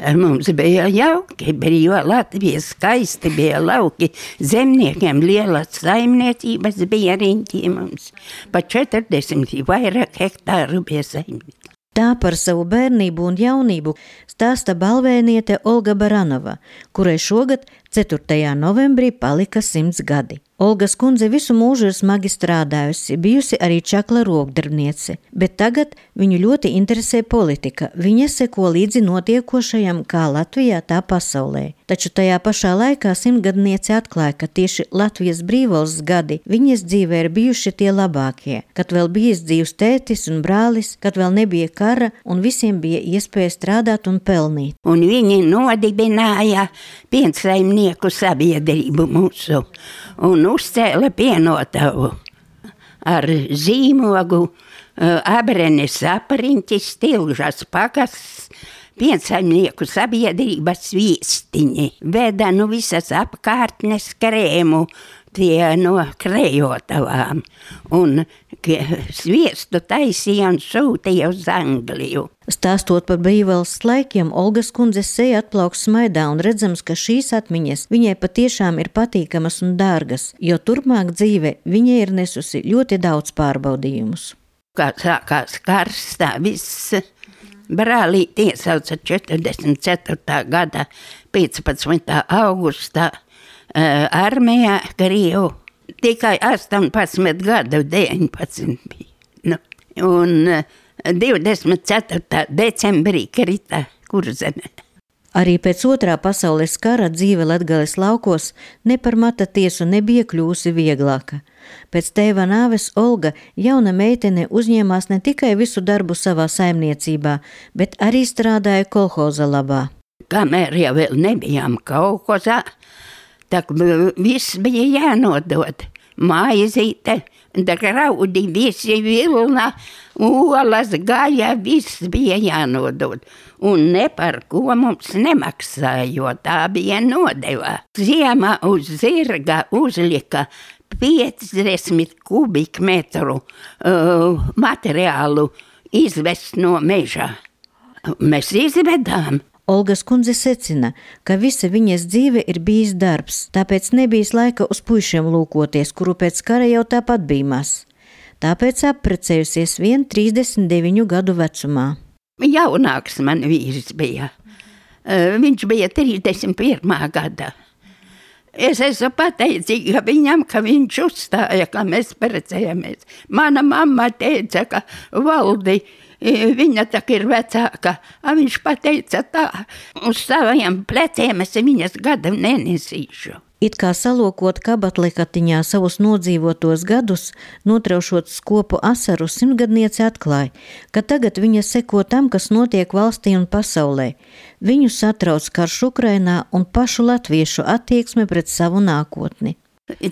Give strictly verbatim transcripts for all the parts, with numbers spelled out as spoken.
Mums bija jauki, brīvā Latvija, skaisti bija lauki, zemniekiem lielas saimniecības bija riņķi mums, pa četrdesmit vairāk hektāru bija saimniecības. Tā par savu bērnību un jaunību stāsta balvēniete Olga Baranova, kurai šogad ceturtajā novembrī palika simts gadi. Olgas kundze visu mūžu ir smagi strādājusi, bijusi arī čakla rokdarbniece, bet tagad viņu ļoti interesē politika. Viņa seko līdzi notiekošajam kā Latvijā, tā pasaulē. Taču tajā pašā laikā simtgadniece atklāja, ka tieši Latvijas brīvvalsts gadi viņas dzīvē ir bijuši tie labākie, kad vēl bijis dzīvs tētis un brālis, kad vēl nebija kara un visiem bija iespēja strādāt un pelnīt. Un viņi nodibināja piensaimnieku sabiedrību mūsu un uzcēla pienotavu ar zīmogu, abrenes apriņķis, tilžas pakas, piensaimnieku sabiedrības viestiņi. Veda nu visas apkārtnes krēmu, tie no krējotavām, un sviestu taisīja un sūtīja uz Angliju. Stāstot par brīvvalsts laikiem, Olgas kundzes seja atplauks smaidā un redzams, ka šīs atmiņas viņai patiešām ir patīkamas un dārgas, jo turpmāk dzīve viņai ir nesusi ļoti daudz pārbaudījumus. Kā sākās karš, tā viss brālīti iesauca četrdesmit ceturtā gada piecpadsmitā augustā armijā Krievu. Tikai astoņpadsmit gadu, deviņpadsmit bija. Nu, un divdesmit ceturtā decembrī krita Kurzeme. Arī pēc otrā pasaules kara dzīve Latgales laukos ne par mata tiesu nebija kļūsi vieglāka. Pēc tēva nāves Olga, jauna meitene, uzņēmās ne tikai visu darbu savā saimniecībā, bet arī strādāja kolhoza labā. Kamēr jau vēl nebijām kolhozā, tak viss bija jānodod. Maizīte, graudi, visi vilna, olas, gaļa, viss bija jānodod. Un ne par ko mums nemaksāja, jo tā bija nodeva. Ziemā uz zirga uzlika piecdesmit kubikmetru uh, materiālu izvest no meža. Mēs izvedām. Olgas kundze secina, ka visa viņas dzīve ir bijis darbs, tāpēc nebijis laika uz puišiem lūkoties, kuru pēc kara jau tāpat bija maz. Tāpēc apprecējusies vien trīsdesmit deviņu gadu vecumā. Jaunāks man vīrs bija. Viņš bija trīsdesmit pirmā gada. Es esmu pateicīga viņam, ka viņš uzstāja, ka mēs precējamies. Mana mamma teica, ka Valdi, viņa tak ir vecāka, a viņš pateica tā, uz saviem pleciem es viņas gadu nenesīšu. It kā salokot kabatlekatiņā savus nodzīvotos gadus, notraušot skopu asaru, simtgadniece atklāja, ka tagad viņa seko tam, kas notiek valstī un pasaulē. Viņu satrauc karš Ukrainā un pašu latviešu attieksme pret savu nākotni.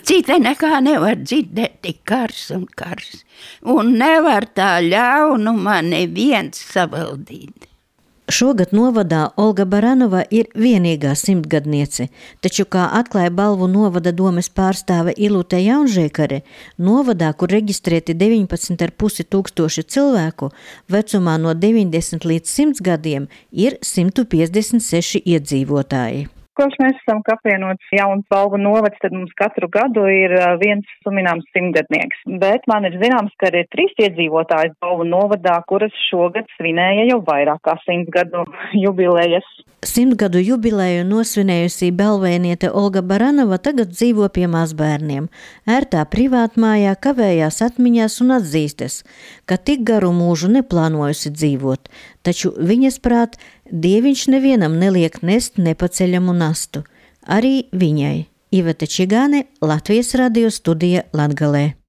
Cita nekā nevar dzirdēt, tik kars un kars, un nevar tā ļaunumā neviens savaldīt. Šogad novadā Olga Baranova ir vienīgā simtgadniece, taču, kā atklāja Balvu novada domes pārstāve Ilute Jaunžēkare, novadā, kur reģistrēti deviņpadsmit ar pusi tūkstoši cilvēku, vecumā no deviņdesmit līdz simts gadiem ir simt piecdesmit seši iedzīvotāji. Kopš mēs esam apvienots jauns Balvu novads, tad mums katru gadu ir viens sumināms simtgadnieks. Bet man ir zināms, ka ir trīs iedzīvotājas Balvu novadā, kuras šogad svinēja jau vairāk kā simts gadu jubilejas. Simtgadu jubileju nosvinējusi balvēniete Olga Baranova tagad dzīvo pie mazbērniem. Ērtā privātmājā kavējās atmiņās un atzīstas, ka tik garu mūžu neplānojusi dzīvot, taču viņas prāt, Dieviņš nevienam neliek nest nepaceļamu nastu. Arī viņai. Iveta Čigāne, Latvijas radio studija Latgalē.